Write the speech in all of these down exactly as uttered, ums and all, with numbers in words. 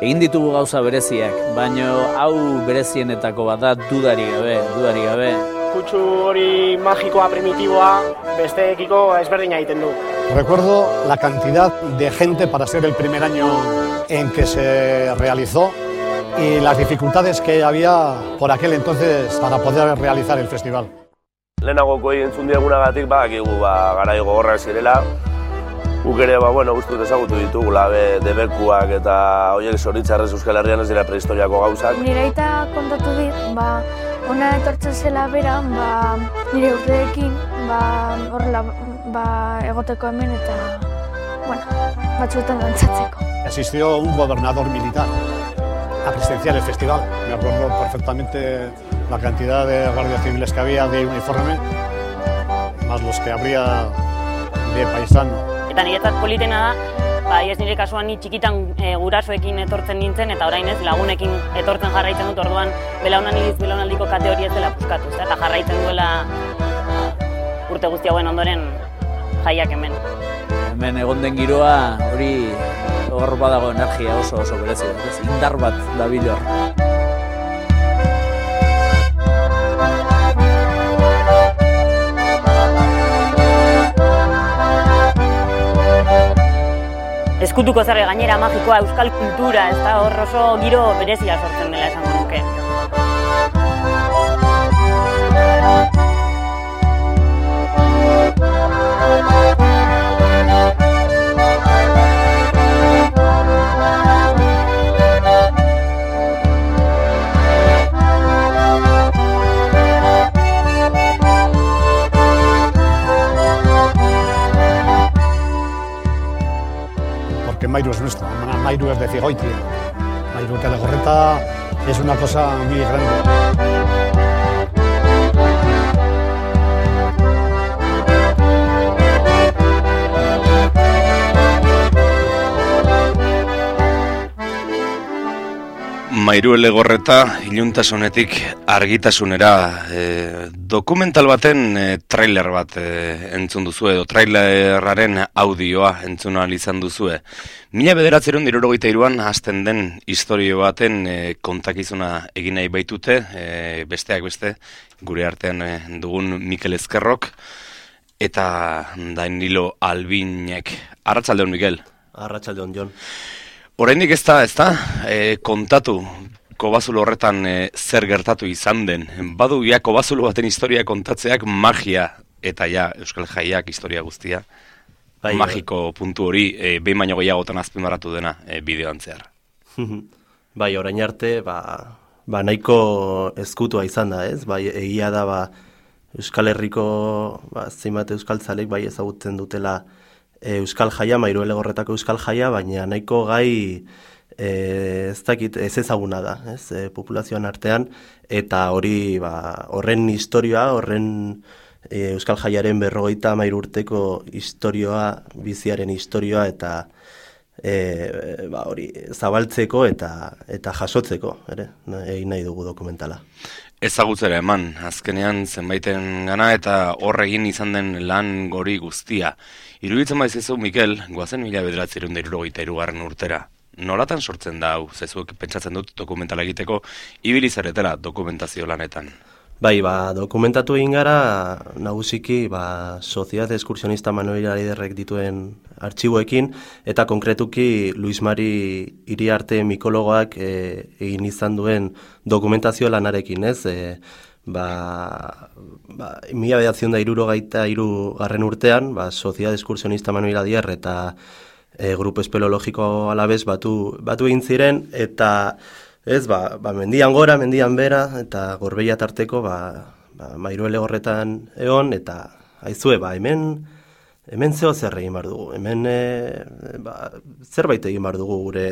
Egin ditugu gauza bereziak, baino hau berezienetako bat da dudari gabe, dudari gabe. Kutsu hori magikoa, primitiboa, besteekiko ezberdina egiten du. Recuerdo la cantidad de gente para ser el primer año en que se realizó y las dificultades que había por aquel entonces para poder realizar el festival. Lehenagoko entzun diegunagatik badakigu ba, garai gogorrak zirela. Guk ere, ba, bueno, guztut ezagutu ditugula be, debekuak eta horiek zoritzarrez Euskal Herrian ez dira prehistoriako gauzak. Nire aita kontatu dit, ba, ona etortzen zela bera, ba, nire urteekin, ba, horrela, ba, egoteko hemen eta, bueno, batzuetan dantzatzeko. Asistió un gobernador militar a presenciar el festival. Me acuerdo perfectamente la cantidad de guardias civiles que había de uniforme, más los que habría de paisano. Eta niretzat politena da, ba, ez nire kasuan ni txikitan e, gurasoekin etortzen nintzen eta orain ez lagunekin etortzen jarraitzen dut, orduan belaunaldiz belaunaldiko kate hori ez dela puskatu, ez da, eta jarraitzen duela urte guzti hauen ondoren jaiak hemen. Hemen egon den giroa hori hor badago energia oso oso berezia, ez indar bat dabil hor. Eskutuko zerre gainera magikoa, euskal kultura, ez da hor oso giro berezia sortzen dela esango nuke. Que Mairu es nuestro, Mairu es de Cigoitia. Mairu de Legorreta es una cosa muy grande. Mairu Legorreta iluntasunetik argitasunera e, dokumental baten e, trailer bat e, entzun duzu edo trailerraren audioa entzun ahal izan duzue. Mila bederatziehun eta hirurogeita hiruan hasten den istorio baten e, kontakizuna egin nahi baitute, e, besteak beste gure artean e, dugun Mikel Ezkerrok eta Danilo Albinek. Arratsaldeon, Mikel. Arratsaldeon, Jon. Oraindik ez da, ez da, e, kontatu kobazulo horretan e, zer gertatu izan den. Badu ja kobazulo baten historia kontatzeak magia eta ja Euskal Jaiak historia guztia. Bai, magiko bai. Puntu hori e, behin baino gehiagotan azpimarratu dena e, bideoan zehar. Bai, orain arte, ba, ba nahiko ezkutua izan da, ez? Bai, egia da, ba, Euskal Herriko, ba, zenbat euskaltzalek bai ezagutzen dutela Euskal Jaia, Mairu Legorretako Euskal Jaia, baina nahiko gai e, ez dakit ez ezaguna da, ez, e, populazioan artean, eta hori ba, horren historioa, horren e, Euskal Jaiaren berrogeita hamairu urteko historioa, biziaren historioa, eta e, ba, hori zabaltzeko eta eta jasotzeko, ere, egin nahi dugu dokumentala. Ezagutzera eman, azkenean zenbaiten gana eta horregin izan den lan gori guztia. Iruditzen baizezu, Mikel, goazen mila bederatziehun eta hirurogeita hirugarren urtera. Nolatan sortzen da hau, zezuek pentsatzen dut dokumentala egiteko, ibili zaretela dokumentazio lanetan? Bai, ba, dokumentatu egin gara, nagusiki, ba, Sociedad Excursionista Manuel Aiderrek dituen artxiboekin, eta konkretuki Luis Mari Iriarte mikologoak e, egin izan duen dokumentazio lanarekin, ez? E, ba, ba, mila bederatziehun eta hirurogeita hiru garren urtean, ba, Sociedad Excursionista Manuel Aider eta e, Grupo Espeleologiko Alavés batu, batu egin ziren, eta ez, ba, ba, mendian gora, mendian bera, eta Gorbeia tarteko, ba, ba, Mairu Legorretan egon, eta aizue, ba, hemen, hemen zeo zer egin bar dugu, hemen e, ba, zerbait egin bar dugu gure,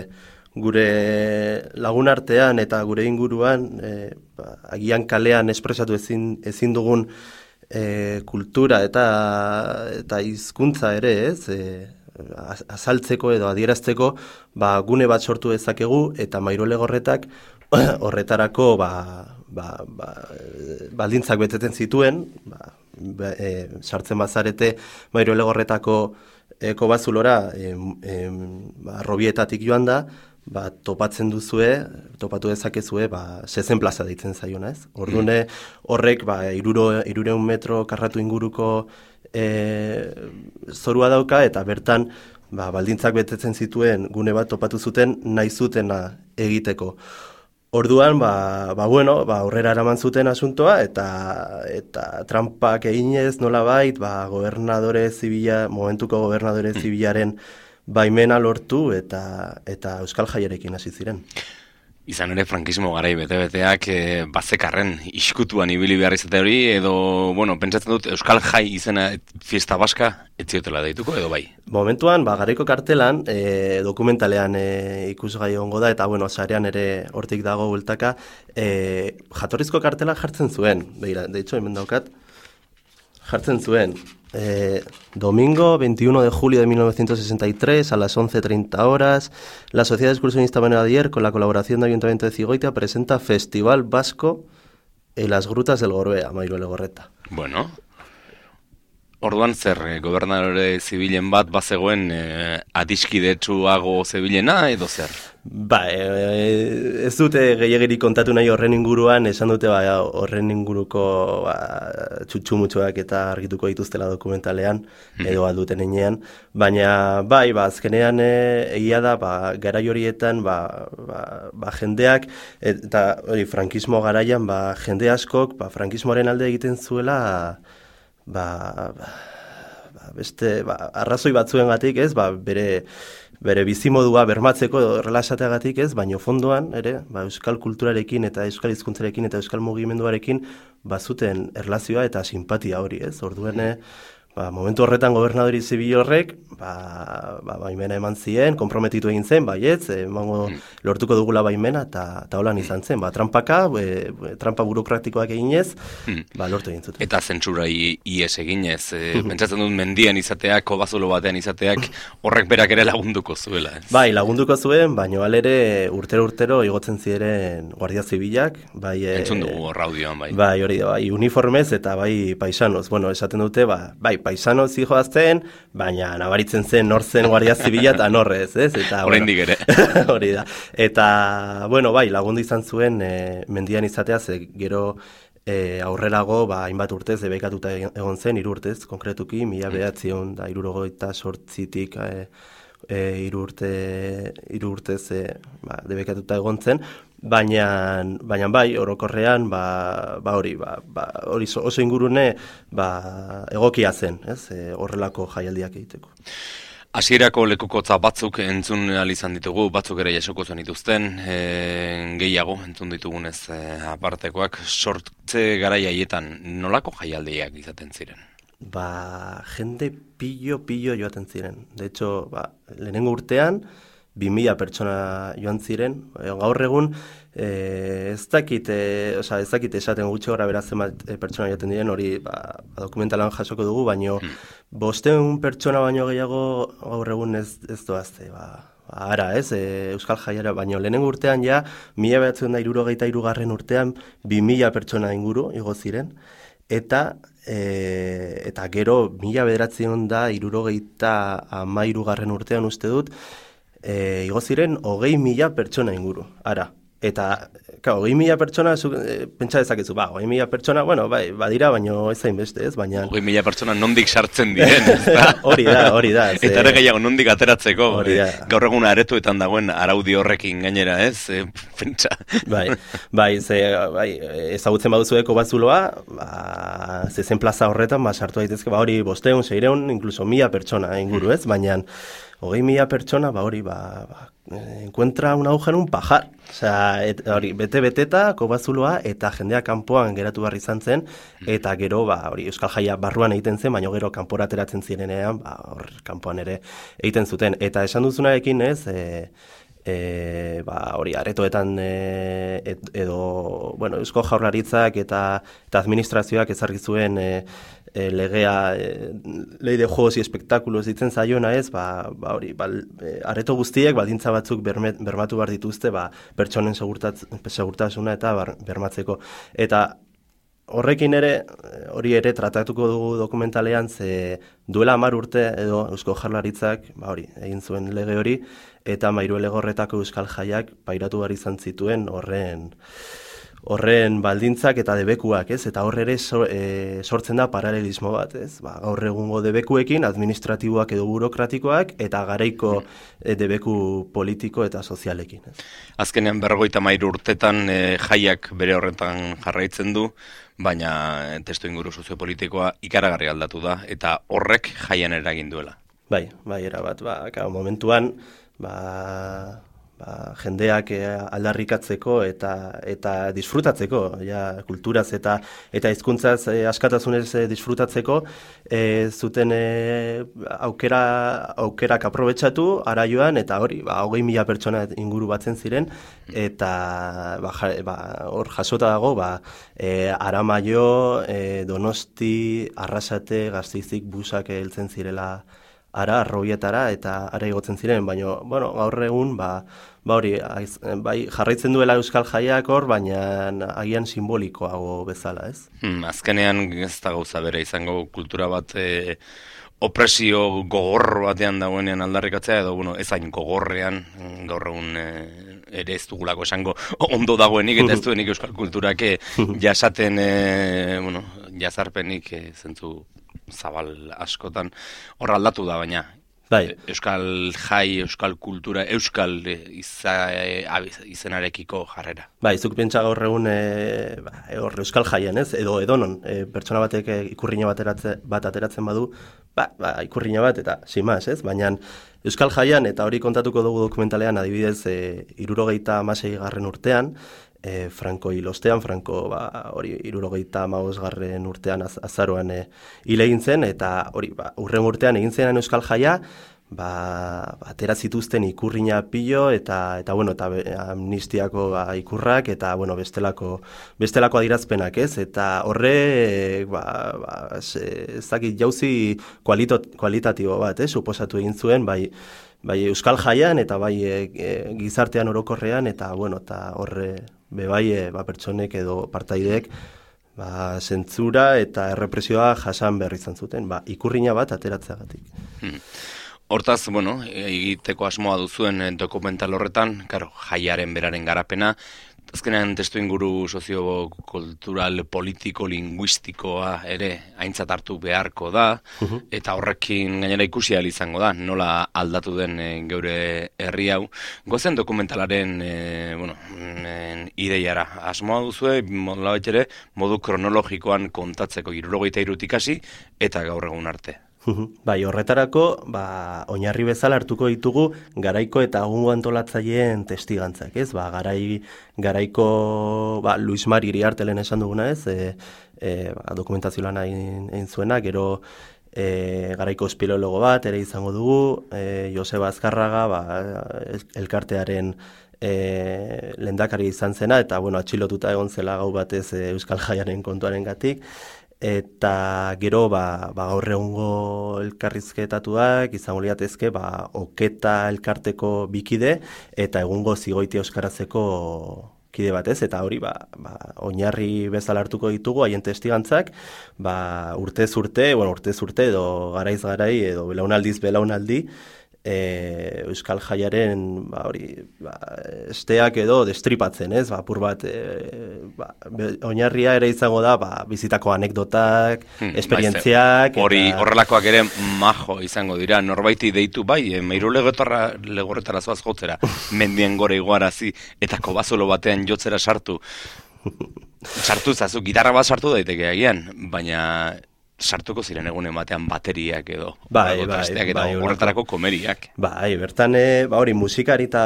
gure lagun artean eta gure inguruan, e, ba, agian kalean espresatu ezin, ezin dugun e, kultura eta, eta hizkuntza ere, ez, e, azaltzeko edo adierazteko ba, gune bat sortu dezakegu eta Mairu Legorretak horretarako ba, ba, ba, baldintzak beteten zituen, ba, e, sartzen bazarete Mairu Legorretako e, kobazulora e, e, ba, Robietatik joan da, ba, topatzen duzue, topatu dezakezue, ba, sezen plaza deitzen zaiona, ez? Ordune horrek, ba, iruro, irureun metro karratu inguruko e, zorua dauka, eta bertan, ba, baldintzak betetzen zituen gune bat topatu zuten nahi zutena egiteko. Orduan, ba, ba bueno, ba, aurrera eraman zuten asuntoa, eta eta trampak eginez nolabait, ba, gobernadore zibila, momentuko gobernadore zibilaren baimena lortu eta eta Euskal Jaiarekin hasi ziren. Izan ere, frankismo garai bete-beteak e, bazekarren iskutuan ibili behar izate hori, edo, bueno, pentsatzen dut Euskal Jai izena fiesta baska etziotela deituko, edo bai? Momentuan, ba, garaiko kartelan, e, dokumentalean e, ikusgai ongo da, eta, bueno, sarean ere hortik dago bueltaka, e, jatorrizko kartela jartzen zuen, begira, de hecho, hemen daukat, jartzen zuen, Eh, domingo veintiuno de julio de mil novecientos sesenta y tres a las once treinta horas, la Sociedad Excursionista Manuel Adier, con la colaboración del Ayuntamiento de Zigoitia, presenta Festival Vasco en las Grutas del Gorbea, Mairuele Gorreta. Bueno, orduan zer, eh, gobernadore zibilen bat bazegoen eh, adiskidetsuago zebilena edo zer? Ba, e, ez dute gehiagirik kontatu nahi horren inguruan, esan dute ba, horren inguruko ba, txutxumutxoak eta argituko dituztela dokumentalean, edo alduten enean, baina bai, ba, azkenean e, egia da, ba, garai horietan, ba, ba, ba, jendeak, eta hori, frankismo garaian, ba, jende askok, ba, frankismoaren alde egiten zuela, ba, ba, ba beste, ba, arrazoi batzuengatik, ez, ba, bere, bere bizimodua bermatzeko relaxateagatik ez, baino fondoan ere, ba, euskal kulturarekin eta euskal hizkuntzarekin eta euskal mugimenduarekin bazuten erlazioa eta simpatia hori, ez? Orduen, ba, momentu horretan gobernadori zibil horrek, ba, ba, baimena eman zien, konprometitu egin zen, baietz, emango lortuko dugula baimena, eta ta holan izan zen, ba, trampaka, e, trampa burokratikoak eginez, ba, lortu egin zuten. Eta zentsura ies eginez, e, pentsatzen dut mendian izateak, kobazulo batean izateak, horrek berak ere lagunduko zuela, ez? Bai, lagunduko zuen, baino alere urtero-urtero igotzen ziren guardia zibilak, bai... Entzun dugu horra audioan, bai. Bai, hori da, bai, uniformez eta bai paisanos, bueno, esaten dute, ba, bai, paisano zijoazten, baina nabaritzen zen nor zen guardia zibila eta norrez, ez? Eta oraindik ere. Hori da. Eta, bueno, bai, lagundu izan zuen e, mendian izatea, ze gero e, aurrerago, ba, hainbat urtez, debekatuta egon zen, hiru urtez, konkretuki, mila behatzion da hirurogeita sortzitik e, e, hiru urte, hiru urtez e, ba, debekatuta egon zen, baina, baina bai, orokorrean, ba, ba hori, ba, ba, hori oso ingurune ba, egokia zen, ez, e, horrelako jaialdiak egiteko. Hasierako lekukotza batzuk entzun ahal izan ditugu, batzuk ere jasoko zuen dituzten, e, gehiago entzun ditugunez e, apartekoak, sortze garai haietan nolako jaialdiak izaten ziren? Ba, jende pillo-pillo joaten ziren. De hecho, ba, lehenengo urtean, bi mila pertsona joan ziren, gaur egun, e, ez dakit, e, oza, ez dakit esaten gutxi gora beratzen bat e, pertsona joaten diren, hori ba, dokumentalan jasoko dugu, baino hmm. bosteun pertsona baino gehiago gaur egun ez, ez doazte, ba, ba, ara, ez, e, Euskal Jaiara, baino lehenengo urtean ja, mila behatzen da irurogeita irugarren urtean, bi mila pertsona inguru igo ziren, eta e, eta gero mila bederatzen da irurogeita amairugarren urtean uste dut, E, igo ziren hogei mila pertsona inguru, ara. Eta, ka, hogei mila pertsona, zu, e, pentsa dezakezu, ba, hogei mila pertsona, bueno, bai, badira, baino ez zain beste, ez, baina... Hogei mila pertsona nondik sartzen diren, ez da? Hori da, hori da. Ze... Eta ere gehiago nondik ateratzeko, e, gaur egun aretuetan dagoen araudi horrekin gainera, ez, e, pentsa. Bai, bai, ze, bai, ezagutzen baduzueko batzuloa, ba, zezen plaza horretan, ba, sartu daitezke, ba, hori bosteun, seireun, inkluso mila pertsona inguru, ez, baina... Hogei mila pertsona, ba hori, ba, ba, encuentra un agujero un pajar. Osea, hori, bete-beteta, kobazuloa, eta jendeak kanpoan geratu behar izan zen, eta gero, ba, hori, Euskal Jaia barruan egiten zen, baina gero kanpora ateratzen zirenean, ba, hor, kanpoan ere egiten zuten. Eta esan duzunarekin, ez, e, e, ba, hori, aretoetan e, et, edo, bueno, Eusko Jaurlaritzak eta, eta administrazioak ezarri zuen e, E, legea, e, lei de juegos y espectáculos ditzen zaiona ez, ba, ba hori, ba, e, areto guztiek baldintza batzuk berme, bermatu behar dituzte, ba, pertsonen segurtasuna eta bar, bermatzeko. Eta horrekin ere, hori ere tratatuko dugu dokumentalean, ze duela hamar urte edo Eusko Jaurlaritzak, ba hori, egin zuen lege hori, eta Mairuelegorretako Euskal Jaiak pairatu behar izan zituen horren horren baldintzak eta debekuak, ez? Eta horre ere so, e, sortzen da paralelismo bat, ez? Ba, gaur egungo debekuekin, administratiboak edo burokratikoak, eta garaiko e, debeku politiko eta sozialekin, ez? Azkenean berrogeita hamairu urtetan e, jaiak bere horretan jarraitzen du, baina testu inguru soziopolitikoa ikaragarri aldatu da, eta horrek jaian eragin duela. Bai, bai, erabat, ba, kao, momentuan, ba... Ba, jendeak aldarrikatzeko eta eta disfrutatzeko, ja, kulturaz eta eta hizkuntzaz e, askatasunez e, disfrutatzeko e, zuten e, aukera aukerak aprobetxatu araioan eta hori, ba, hogei mila pertsona inguru batzen ziren eta ba, ja, ba, hor jasota dago ba, e, Aramaio, e, Donosti, Arrasate, Gasteizik busak heltzen zirela ara, arrobietara eta ara igotzen ziren, baina, bueno, gaur egun, ba, ba hori, aiz, bai, jarraitzen duela Euskal Jaiak hor, baina agian simbolikoago bezala, ez? Hmm, azkenean ez da gauza bere izango kultura bat e, opresio gogor batean dagoenean aldarrikatzea, edo, bueno, ez hain gogorrean, gaur egun e, ere ez dugulako esango ondo dagoenik, eta ez duenik Euskal kulturak e, jasaten, e, bueno, jazarpenik e, zentzu zabal askotan hor aldatu da, baina bai. Euskal jai, euskal kultura, euskal iza, izenarekiko jarrera. Bai, zuk pentsa gaur egun e, ba, hor euskal jaian, ez? Edo edonon, e, pertsona batek ikurriña bat, eratze, bat ateratzen badu, ba, ba, ikurriña bat eta simaz, ez? Baina euskal jaian, eta hori kontatuko dugu dokumentalean, adibidez, e, irurogeita hamasei garren urtean, E, Franco hilostean, Franco ba, hori irurogeita hamabosgarren urtean az, azaroan e, hil egin zen, eta hori ba, urren urtean egin zen Euskal Jaia, ba, atera zituzten ikurriña pilo eta eta bueno, eta amnistiako ba, ikurrak eta bueno, bestelako bestelako adirazpenak, ez? Eta horre ba, ba ez dakit jauzi kualito, kualitatibo bat, eh, suposatu egin zuen, bai bai Euskal Jaian eta bai e, e, gizartean orokorrean eta bueno, eta horre be bai e, ba, pertsonek edo partaideek ba, zentzura eta errepresioa jasan behar izan zuten, ba, ikurriña bat ateratzeagatik. Hmm. Hortaz, bueno, egiteko asmoa duzuen dokumental horretan, claro, jaiaren beraren garapena, azkenean testu inguru sozio-kultural, politiko, linguistikoa ere aintzat hartu beharko da, uh-huh. eta horrekin gainera ikusi ahal izango da, nola aldatu den e, geure herri hau. Gozen dokumentalaren e, bueno, en, ideiara asmoa duzue, nolabait ere, modu kronologikoan kontatzeko hirurogeita hirutik hasi eta gaur egun arte. Bai, horretarako, ba, oinarri bezala hartuko ditugu garaiko eta egungo antolatzaileen testigantzak, ez? Ba, garai, garaiko, ba, Luis Mari Iriartelen esan duguna, ez? E, e, ba, dokumentazio lana egin zuena, gero e, garaiko espeleologo bat ere izango dugu, e, Joseba Azkarraga, ba, elkartearen e, lehendakari izan zena, eta, bueno, atxilotuta egon zela gau batez e, Euskal Jaiaren kontuaren gatik, eta gero ba, ba gaur egungo elkarrizketatuak izango liatezke ba Oketa elkarteko bikide eta egungo Zigoiti euskarazeko kide batez, eta hori ba, ba oinarri bezala hartuko ditugu haien testigantzak, ba urtez urte, bueno, urtez urte edo garaiz garai edo belaunaldiz belaunaldi E, Euskal Jaiaren ba, hori, ba, esteak edo destripatzen, ez? Ba, apur bat e, ba, oinarria ere izango da ba, bizitako anekdotak, hmm, esperientziak. Hori eta... horrelakoak ere majo izango dira, norbaiti deitu bai, e, meiru legorretara zoaz jotzera, mendien gore iguarazi, eta kobazolo batean jotzera sartu. Sartu zazu, gitarra bat sartu daiteke agian, baina... sartuko ziren egunen batean bateriak edo bai, bai, trasteak eta bai, horretarako komeriak. Bai, bertan e, ba hori musikari eta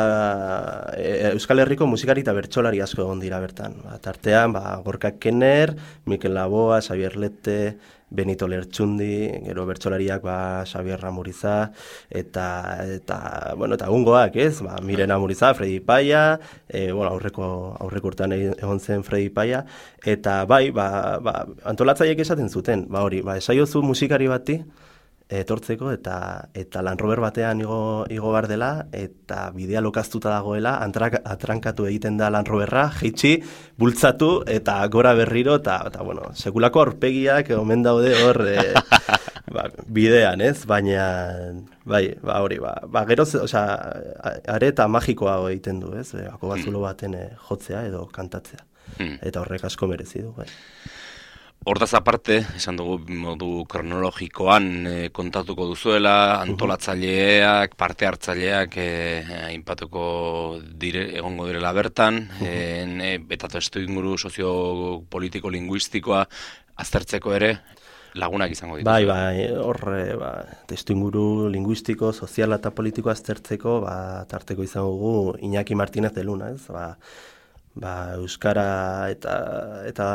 e, Euskal Herriko musikari eta bertsolari asko egon dira bertan. Ba, tartean, ba, Gorka Kenner, Mikel Laboa, Xabier Lete, Benito Lertxundi, gero bertsolariak ba Xabier Ramuriza eta eta bueno, eta egungoak, ez? Ba, Miren Amuriza, Fredi Paia, e, bueno, aurreko aurreko urtean egon zen Fredi Paia eta bai, ba, ba antolatzaileek esaten zuten, ba hori, ba esaiozu musikari bati etortzeko eta eta Land Rover batean igo, igo bar dela eta bidea lokaztuta dagoela, antrak, atrankatu egiten da Land Roverra, jeitsi, bultzatu eta gora berriro eta, eta bueno, sekulako aurpegiak omen daude hor e, ba, bidean, ez? Baina bai, ba hori, ba, ba gero, osea, areta magikoa egiten du, ez? Bako bazulo baten e, jotzea edo kantatzea. Hmm. Eta horrek asko merezi du, bai. Hortaz aparte, esan dugu modu kronologikoan e, kontatuko duzuela, antolatzaileak, parte hartzaileak e, aipatuko dire, egongo direla bertan, e, eta testu inguru soziopolitiko-linguistikoa aztertzeko ere lagunak izango dituzu. Bai, bai, horre, ba, testu inguru linguistiko, soziala eta politiko aztertzeko, ba, tarteko izango dugu Iñaki Martínez de Luna, ez, ba, Ba, euskara eta eta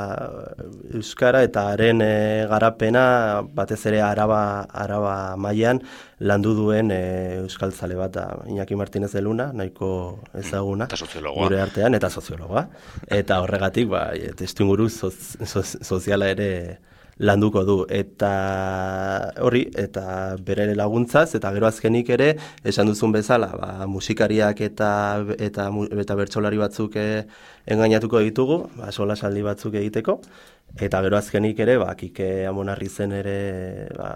euskara eta haren e, garapena batez ere araba araba mailan landu duen e, euskaltzale bat da Iñaki Martínez de Luna, nahiko ezaguna gure artean eta soziologoa. Eta horregatik ba testuinguru soz, soz, soziala ere landuko du eta hori eta bere laguntzaz eta gero azkenik ere esan duzun bezala ba, musikariak eta eta eta bertsolari batzuk e, engainatuko ditugu, ba solasaldi batzuk egiteko eta gero azkenik ere ba Kike Amonarri zen ere ba,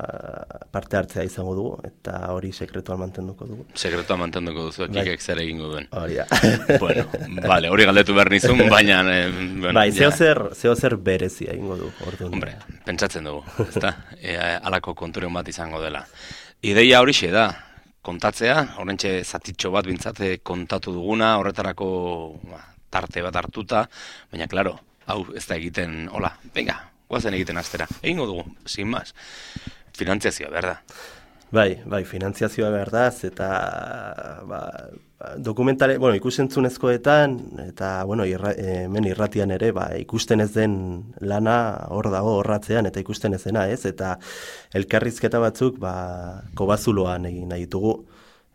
parte hartzea izango dugu eta hori sekretuan mantenduko dugu. Sekretuan mantenduko duzu Kikek zer egingo duen. Hori da. Bueno, vale, hori galdetu behar nizun, baina eh, bueno, bai, zeo zer, zeo zer berezia egingo du orduan. Hombre, pentsatzen dugu, ezta? E, alako konturen bat izango dela. Ideia horixe da, kontatzea, horrentxe zatitxo bat bintzate kontatu duguna, horretarako ba, tarte bat hartuta, baina klaro, hau ez da egiten, hola, venga, guazen egiten astera, egingo dugu, sin más. Finantziazioa, behar da. Bai, bai, finantziazioa behar da, eta ba, dokumentale, bueno, ikusentzunezkoetan, eta, bueno, irra, hemen irratian ere, ba, ikusten ez den lana hor dago horratzean, eta ikusten ez dena, ez? Eta elkarrizketa batzuk, ba, kobazuloan egin nahi ditugu.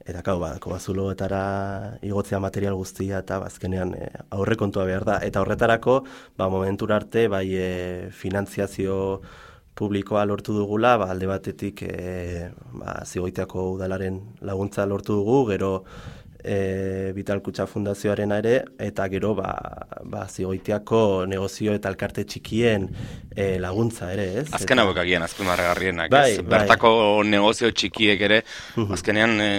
Eta kau, ba, kobazuloetara igotzea material guztia eta bazkenean e, aurrekontua behar da. Eta horretarako, ba, momentura arte, bai e, finantziazio publikoa lortu dugula, ba, alde batetik e, ba, Zigoitiako udalaren laguntza lortu dugu, gero e, Vital Kutxa Fundazioaren ere, eta gero ba, ba, Zigoitiako negozio eta elkarte txikien e, laguntza ere, ez? Azken hauek agian, azpimarragarrienak, bai, ez? Bai. Bertako negozio txikiek ere, azkenean e,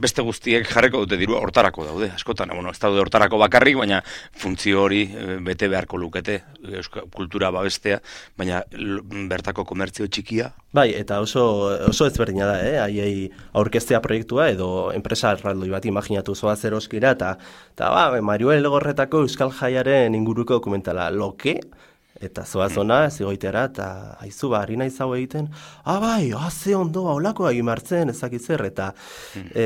beste guztiek jarreko dute dirua hortarako daude, askotan, bueno, ez daude hortarako bakarrik, baina funtzio hori e, bete beharko lukete, euskal kultura babestea, baina bertako komertzio txikia. Bai, eta oso, oso ezberdina da, eh? Haiei aurkeztea proiektua edo enpresa erraldoi bat imaginatu zoaz eroskira, eta, eta ba, Mariuel Legorretako Euskal Jaiaren inguruko dokumentala, loke, eta zoaz ona, Zigoitera, eta haizu, ba, harina izau egiten, ah, bai, ah, ze ondo, haulako egin martzen, ezakitzer, eta e,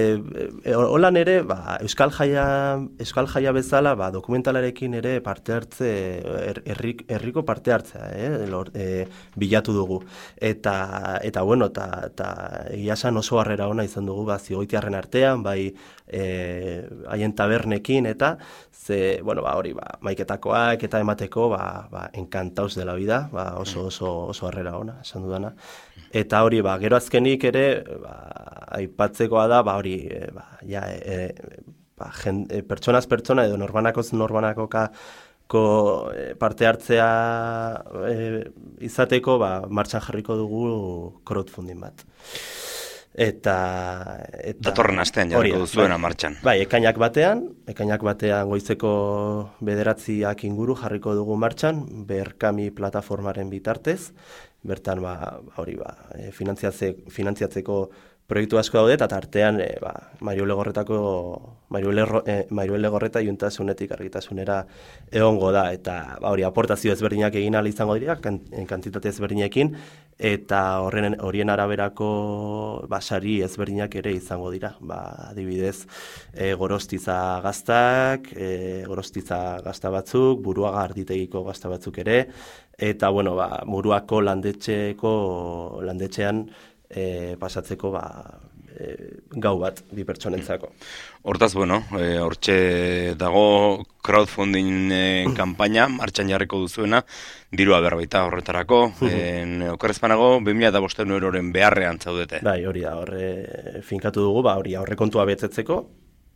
e, holan ere, ba, Euskal Jaia, Euskal Jaia bezala, ba, dokumentalarekin ere parte hartze, er, errik, erriko parte hartzea, eh, lor, e, bilatu dugu. Eta, eta bueno, eta, eta egia esan oso harrera ona izan dugu, ba, Zigoitiarren artean, bai, e, haien tabernekin, eta, ze, bueno, ba, hori, ba, maiketakoak eta emateko, ba, ba, enkantauz dela vida, ba, oso, oso, oso harrera ona, esan dudana. Eta hori, ba, gero azkenik ere, ba, aipatzekoa da, ba, hori, e, ba, ja, e, ba, jen, e, pertsonaz pertsona edo norbanakoz norbanakoka ko parte hartzea e, izateko, ba, martxan jarriko dugu crowdfunding bat. Eta, eta datorren astean jarriko duzuena bai, martxan. Bai, ekainak batean, ekainak batean goizeko bederatziak inguru jarriko dugu martxan, Berkami plataformaren bitartez, bertan ba, hori ba, finantziatzeko, finantziatzeko proiektu asko daude, eta tartean e, ba, Mariuel Legorretako Mariuel eh, Legorreta Iuntasunetik argitasunera egongo da, eta ba, hori aportazio ezberdinak egin ahal izango dira, kantitate ezberdinekin, eta horren horien araberako basari ezberdinak ere izango dira. Ba, adibidez, e, gorostiza gaztak, e, gorostiza gazta batzuk, Buruaga arditegiko gazta batzuk ere, eta bueno, ba, Muruako landetxeko landetxean E, pasatzeko ba, gau bat bi pertsonentzako. Hortaz, bueno, e, hortxe dago crowdfunding e, kanpaina, martxan jarriko duzuena, dirua berbaita horretarako, e, okerrezpanago, bi mila bostehun euroren beharrean zaudete. Bai, hori da, horre finkatu dugu, ba, hori aurrekontua betetzeko,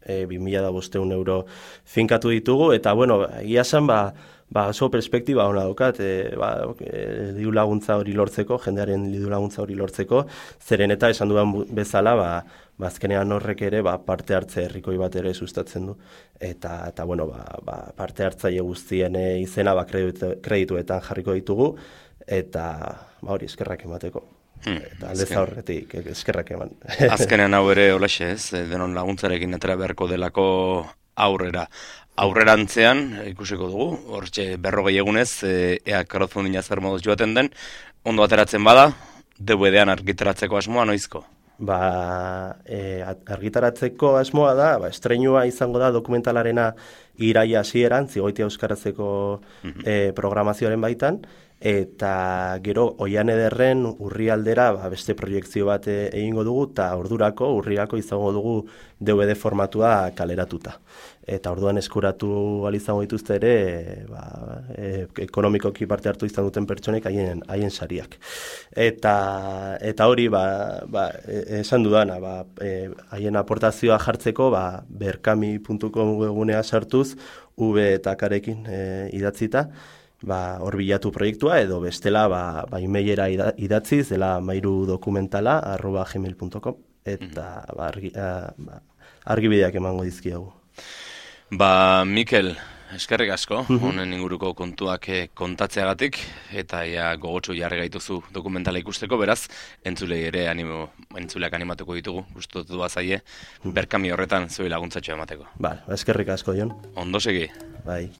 e, bi mila bostehun euro finkatu ditugu, eta, bueno, egia esan, ba, ba, oso perspektiba hona daukat, e, ba, e, diru laguntza hori lortzeko, jendearen diru laguntza hori lortzeko, zeren eta esan duan bezala, ba, bazkenean horrek ere ba, parte hartze herrikoi bat ere sustatzen du. Eta, eta bueno, ba, ba, parte hartzaile guztien izena ba, kreditu, kredituetan jarriko ditugu, eta ba, hori eskerrak emateko. Hmm, eta aldez aurretik eskerrak eman. Azkenean hau ere olaxe ez, denon laguntzarekin atera beharko delako aurrera. Aurrerantzean, ikusiko dugu, hortxe berrogei egunez, ea crowdfundinga zer moduz joaten den, ondo ateratzen bada, D V D-an argitaratzeko asmoa noizko? Ba, e, argitaratzeko asmoa da, ba, estreinua izango da dokumentalarena iraia hasieran, Zigoitia euskarazeko mm-hmm. e, programazioaren baitan, eta gero Oian Ederren urrialdera ba, beste proiektzio bat egingo dugu, eta ordurako, urrirako izango dugu D V D formatua kaleratuta. Eta orduan eskuratu ahal izango dituzte ere, ba, e, ekonomikoki parte hartu izan duten pertsonek haien haien sariak. Eta eta hori ba, ba, esan dudana, ba, e, haien aportazioa jartzeko ba, berkami puntu com webgunea sartuz, V eta Karekin e, idatzita, ba, hor bilatu proiektua, edo bestela ba, ba, emailera idatziz, dela mairu dokumentala, arroba gmail puntu com, eta ba, argi, a, ba, argibideak emango dizkiagu. Ba, Mikel, eskerrik asko, honen inguruko kontuak kontatzeagatik, eta ja gogotsu jarri gaituzu dokumentala ikusteko, beraz, entzulei ere animo, entzuleak animatuko ditugu, gustatu bazaie, berkami horretan zuei laguntzatxo emateko. Ba, eskerrik asko, Jon. Ondo segi. Bai.